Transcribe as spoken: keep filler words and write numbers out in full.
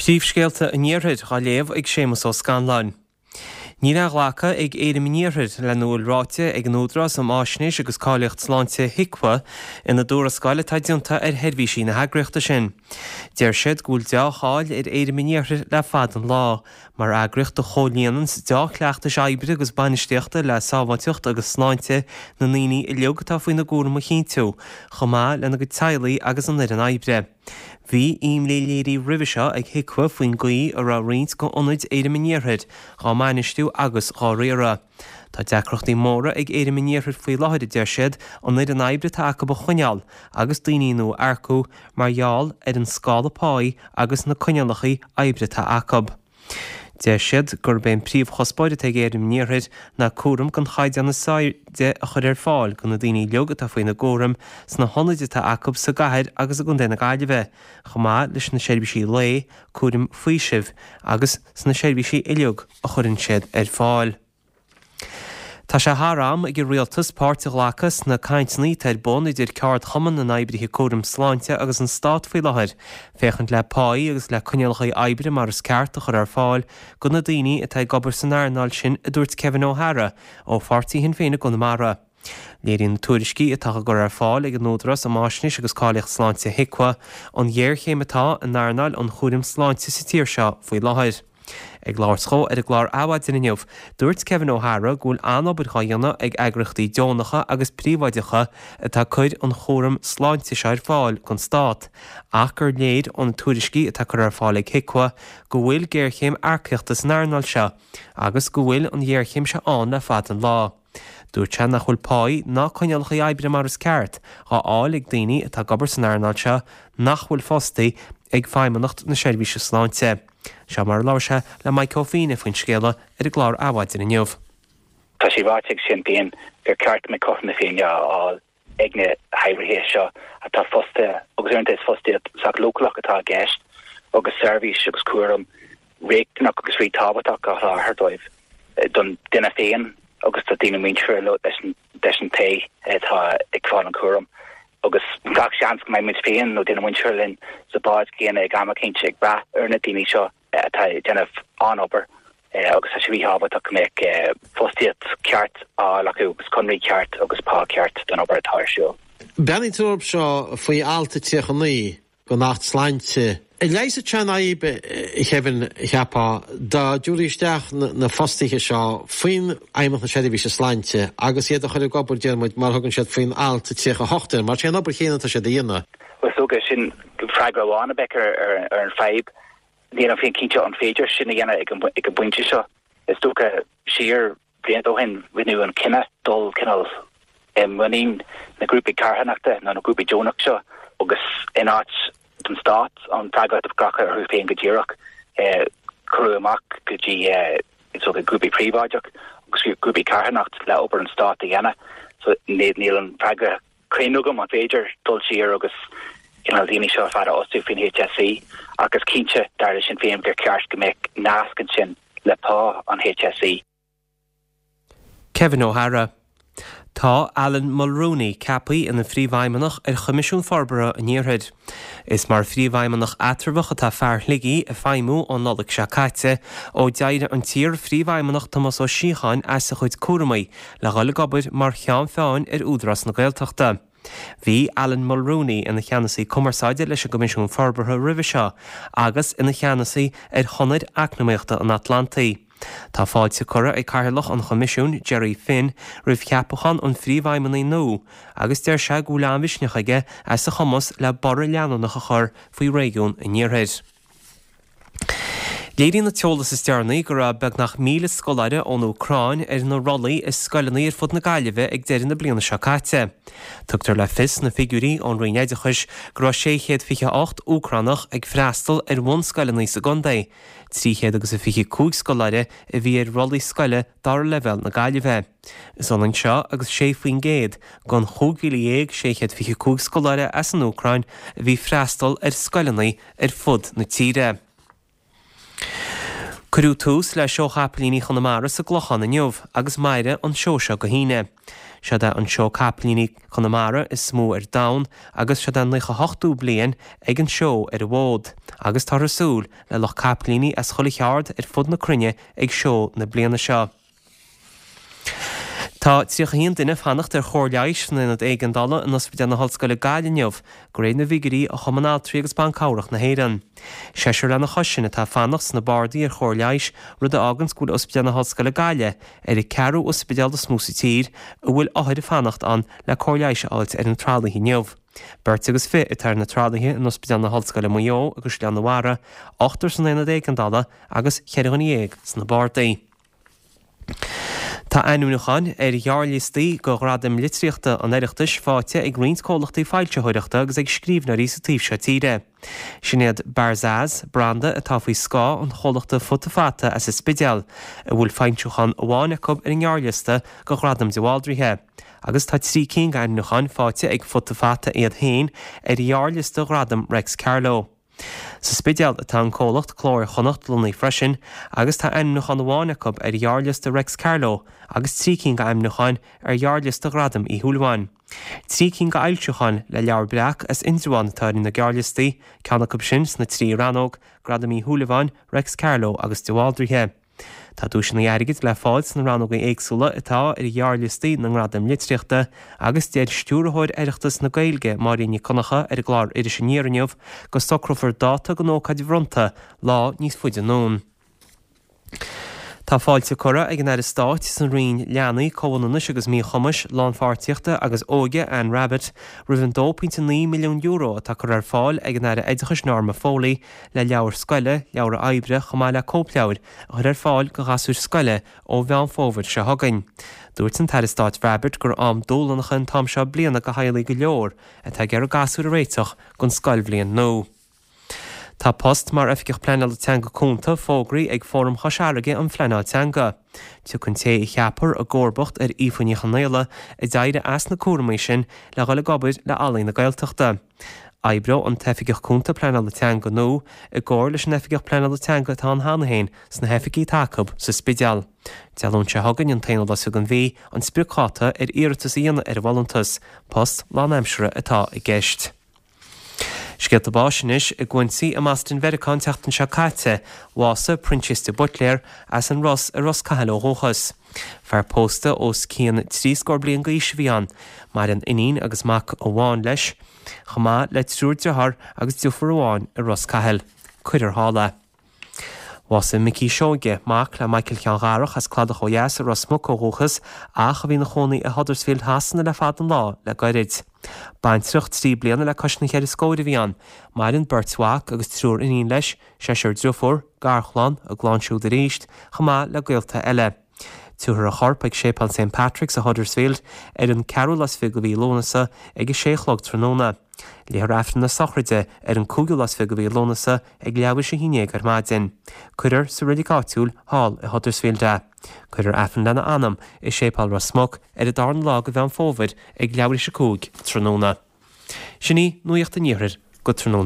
Príomhscéalta an Iarthair á léamh ag Séamus Ó Scanláin. Níl á ghlacadh ag Éirim an Iarthair lena bhfuil ráite ag an Údarás um Fhaisnéis agus Cáilíocht Sláinte HIQA ina dtuarascáil atá déanta ar sheirbhísí na heagraíochta sin. Deir siad go bhfuil dea-cháil ar Éirim an Iarthair le fada an lá, mar eagraíocht a chomhlíonann dea-chleachtais oibre agus bainistíochta le sábháilteacht agus sláinte na ndaoine uilig atá faoina gcúram a chinntiú, chomh maith lena gcuid teaghlaigh agus an fhoireann oibre. Bhí imní léirithe roimhe seo ag HIQA faoin gcaoi a raibh roinnt d'ionaid Éirim an Iarthair dhá mbainistiú agus dhá riaradh. Tá deacrachtaí móra ag Éirim an Iarthair faoi láthair a deir siad an fhoireann oibre atá acu a choinneáil agus daoine nua a earcú mar gheall ar an scála páí agus na coinníollacha oibre atá acu. Deir siad gurb é an príomhchuspóir atá ag Éirim an Iarthair ná cúram den chaighdeán is airde a chur ar fáil do na daoine uilig atá faoina gcúram sna hionaid atá acu sa gcathair agus i gContae na Gaillimhe, chomh maith leis na seirbhísí lae, cúram faoisimh agus sna seirbhísí uilig a chuireann siad ar fáil. Tá sé thar am ag an rialtas páirt a ghlacadh sna cainteanna atá ar bun idir Ceardchumann na nOibrithe Cúraim Sláinte agus an Stát faoi láthair, féachaint le páí agus le coinníollacha oibre mar is ceart a chur ar fáil do na daoine atá ag obair san earnáil sin a dúirt Kevin O'Hara ó pháirtí Shinn Féin i gConamara. Léiríonn na tuairiscí atá á gcur ar fáil ag an Údarás um Fhaisnéis agus Cáilíocht Sláinte HIQA an ghéarchéim atá in earnáil an chúraim sláinte sa tír seo faoi láthair. Ag labhairt dó ar an gclár Adhmhaidin inniu, dúirt Kevin O'Hara go bhfuil an-obair á dhéanamh ag eagraíochtaí deonacha agus príobháideacha atá ag cur an chúram sláinte seo ar fáil don stát, ach gur léir ó na tuairiscí atá curtha ar fáil ag HIQA go bhfuil géarchéim earcaíochta san earnáil seo agus go bhfuil an ghéarchéim seo ann le fada an lá. Dúirt sé nach bhfuil páí ná coinníollacha oibre mar is ceart á fháil ag daoine atá ag obair san earnáil seo nach bhfuil fostaithe ag Feidhmeannacht na Seirbhíse Sláinte. Seo mar a labhair sé le Mike Ó Fiaine faoin scéala ar an gclár Adhmhaidin inniu. Tá sé ráite ag Sinn Féin gur ceart go mbeadh cothrom na Féinne á fháil ag na hoibrithe seo atá fostaithe agus uaireanta is fostaíocht sách leochaileach atá i gceist agus seirbhís agus cúram riachtanach agus ríthábhachtach á sholáthar dóibh don duine féin agus do daoine muinteartha leis an leis an té atá ag fáil an cúram. Agus gach seans go mbeidh muid féin nó duine muinteartha linn sa bhád céanna ag am eicínt ag brath ar na daoine seo atá ag déanamh an-obair agus tá sé ríthábhachtach go mbeadh fostaíocht ceart á fháil acu agus conraí ceart agus pá ceart don obair atá ar siúl. Breathnaíonn tú orthu seo faoi alt a tríocha naoi den Acht Sláinte. Leigheasfadh sé an fhadhb, a Kevin, cheapfá, dá dtabharfaí isteach na fostaithe seo faoin Fheidhmeannacht na Seirbhíse Sláinte agus iad a chur ag obair, deir muid, mar a thugann siad faoin alt a tríocha a hocht air, mar sé an obair chéanna atá siad a dhéanamh. Is dócha sin freagra amháin a bheadh ar an fadhb. Nílim féin cinnte an féidir sin a dhéanamh ag an bpointe seo. Is dócha siar blianta ó shin rinneadh an cinneadh dul cineál i muinín na grúpaí carthanachta nó na grúpaí deonach seo agus in áit don stát an freagracht a ghlacadh orthu féin go díreach cuireadh amach go dtí is dócha grúpaí príobháideach agus grúpaí carthanacht le obair an stáit a dhéanamh. So níl an freagra cruinn agam an féidir dul siar agus cineál daoine seo ar fad a fhostú faoin HSE ach is cinnte dar le Sinn Féin gur ceart go mbeadh nasc ansin le pá an HSE. Kevin O'Hara. Tá Alan Mulrooney ceaptha ina phríomhfheidhmeannach ar Choimisiún Forbartha an Iarthair. Is mar phríomhfheidhmeannach eatramhach atá fear Shligigh ag feidhmiú ón Nollaig seo caite, ó d'éirigh an t-iar-phríomhfheidhmeannach Tomás Ó Síocháin as a chuid cúramaí le dhul ag obair mar cheann feadhain ar Údarás na Gaeltachta. Bhí Alan Mulrooney ina cheannasaí cumarsáide leis an gCoimisiún Forbartha roimhe seo agus ina cheannasaí ar Chonair Eacnamaíochta an Atlantaigh. Tá fáilte curtha ag Cathaoirleach an Choimisiúin, Gerry Finn, roimh cheapachán an phríomhfheidhmeannaigh nua agus deir sé go bhfuil an-mhisneach aige as a chumas le borradh leanúnach a chur faoi réigiún an Iarthair. Léiríonn an t-eolas is deireanaí go raibh beagnach míle scoláire ón Úcráin ar na rollaí i scoileanna ar fud na Gaillimhe ag deireadh na bliana seo caite. Tugtar le fios sna figiúirí ón Roinn Oideachais go raibh sé chéad fiche a hocht Úcránach ag freastal ar bhunscoileanna sa gcontae, trí chéad agus a fiche cúig scoláire a bhí ar rollaí scoile dara leibhéal na Gaillimhe. Is ionann seo agus sé faoin gcéad den chúig mhíle dhéag sé chéad fiche cúig scoláire as an Úcráin a bhí freastal ar scoileanna ar fud na tíre. Cuireadh tús le Seó Chapaillíní Chonamara sa gClochán inniu agus mairfidh an seó seo go hAoine. Seod é an seó capaillíní Chonamara is mó ar domhan agus seod é an naocha hochtú bliain ag an seó ar an bhfód, agus táthar ag súil le lucht capaillíní as chuile cheard ar fud na cruinne ag seó na bliana seo. Tá tríocha haon duine ag fanacht ar chóir leighis san aonad éigeandála in Ospidéal na hOllscoile Gaillimh inniu, de réir na bhfigiúirí ó Chumann Altraí agus Ban Cabhrach na hÉireann. Seisear lena chois sin atá ag fanacht sna bardaí ar chóir leighis, rud a fháganns go bhfuil Ospidéal na hOllscoile Gaillimh ar an ceathrú ospidéal is mó sa tír a bhfuil othair ag fanacht ann le cóir leighis a fháilt ar na tralaithe inniu. Beirt agus fiche atá ar na tralaithe in Ospidéal na hOllscoile Maigh Eo i gCaisleán an Bharraigh, ochtar san aonad éigeandála agus cheithre dhuine dhéag sna bardaí. Tá ainmniúcháin ar ghearrliostaí do Ghradaim Litríochta an Oireachtais faighte ag roinnt comhlachtaí foilsitheoireachta agus ag scríbhneoirí sa taobh seo tíre. Sin iad Barzaz, branda atá faoi scáth an chomhlachta Futa Fata as an Spidéal, a bhfuil foilseachán amháin acu ar an ngearrliosta do Ghradam de Bhaldraithe. Agus tá trí cinn d'ainmniúcháin faighte ag Futa Fata iad féin ar ghearrliosta Ghradam Reics Carló. Sa Spidéal atá an comhlacht Cló Iar-Chonnacht lonnaithe freisin agus tá ainmniúchán amháin acu ar ghearrliosta Reics Carló agus trí cinn d'ainmniúcháin ar ghearrliosta Ghradam Uí Shúilleabháin. Trí cinn d'fhoilseacháin le Leabhar Breac as Indreabhán atá ar na gearrliostaí, ceann acu sin sna trí rannóg, Gradam Uí Shúilleabháin, Reics Carló agus de Bhaldraithe. Tá duaiseanna airgid le fáil sna rannóga éagsúla atá ar ghearrliostaí na ngradam litríochta agus deir Stiúrthóir Oireachtas na Gaeilge, Máirín Nic Dhonncha, ar an gclár Iris Aniar inniu go socrófar dáta don ócáid bhronnta lá níos faide anonn. Tá fáilte curtha ag an Aire Stáit sa Roinn Leanaí, Comhionannais agus Míchumais, Lánpháirtíochta agus Óige, Anne Rabbitte, roimh an dó pointe naoi milliún euro atá curtha ar fáil ag an Aire Oideachais Norma Foley le leabhair scoile, leabhra oibre chomh maith le cóipleabhair a chur ar fáil do ghasúir scoile ó Mheán Fómhair seo chugainn. Dúirt an tAire Stáit Rabbitte gur am dúshlánach an t-am seo bliana do theaghlaigh go leor atá ag iarraidh gasúir a réiteach don scoilbhliain nua. Tá post mar Oifigeach Pleanála Teanga Cúnta fógraithe ag Fóram Chois Fharraige um Phleanáil Teanga. Tiocfaidh an té a cheapfar i gcomharbacht ar Aoife Ní Chonaola a d'éirigh as na cúraimí sin le dhul ag obair le Ealaín na Gaeltachta. Oibreoidh an tOifigeach Cúnta Pleanála Teanga nua i gcomhar leis an Oifigeach Pleanála Teanga atá ann cheana féin sna hoifigí atá acu sa Spidéal. Dé Luain seo chugainn an t-aonú lá den mhí an spriocdháta ar iarratas a dhéanamh ar an bhfolúntas, post lánaimseartha atá i gceist. Scéalta báis anois i gCuincy i mBoston Mheiriceá an tseachtain seo caite, bhásaigh Proinsias de Buitléar as an Ros i Ros Cathail ó dhúchas. Fear pósta os cionn trí scór bliain d'aois a bhí ann. Maireann iníon agus mac amháin leis, chomh maith le triúr dearthár agus deirfiúr amháin i Ros Cathail. Cuirfear thall é. Bhásaigh Micí Seoige, mac le Michael Sheáin Dharach as Cladach ó dheas i Ros Muc ó dhúchas ach a bhí ina chónaí i Huddersfield Shasana le fada an lá le gairid. Baintreach trí bliana le cois na ceithre scóir a bhí ann. Maireann beirt mhac agus triúr iníon leis, seisear deirfiúr, garchlann, a gclann siúd arís, chomh maith le gaolta eile. Tabharfar a chorp ag Séipéal Saint Patrick's i Huddersfield ar an ceathrú lá is fiche de mhí Lúnasa ag a sé a chlog tráthnóna. Léifear Aifreann na sochraide ar an cúigiú lá is fiche de mhí Lúnasa ag leathuair tar éis a haon déag ar maidin. Cuirfear sa reilig áitiúil thall i Huddersfield é. Cuirfear Aifreann lena anam i Séipéal Ros Muc ar an darna lá de Mheán Fómhair ag leathuair tar éis a cúig tráthnóna. Sin í nuacht an iarthair go tráthnóna.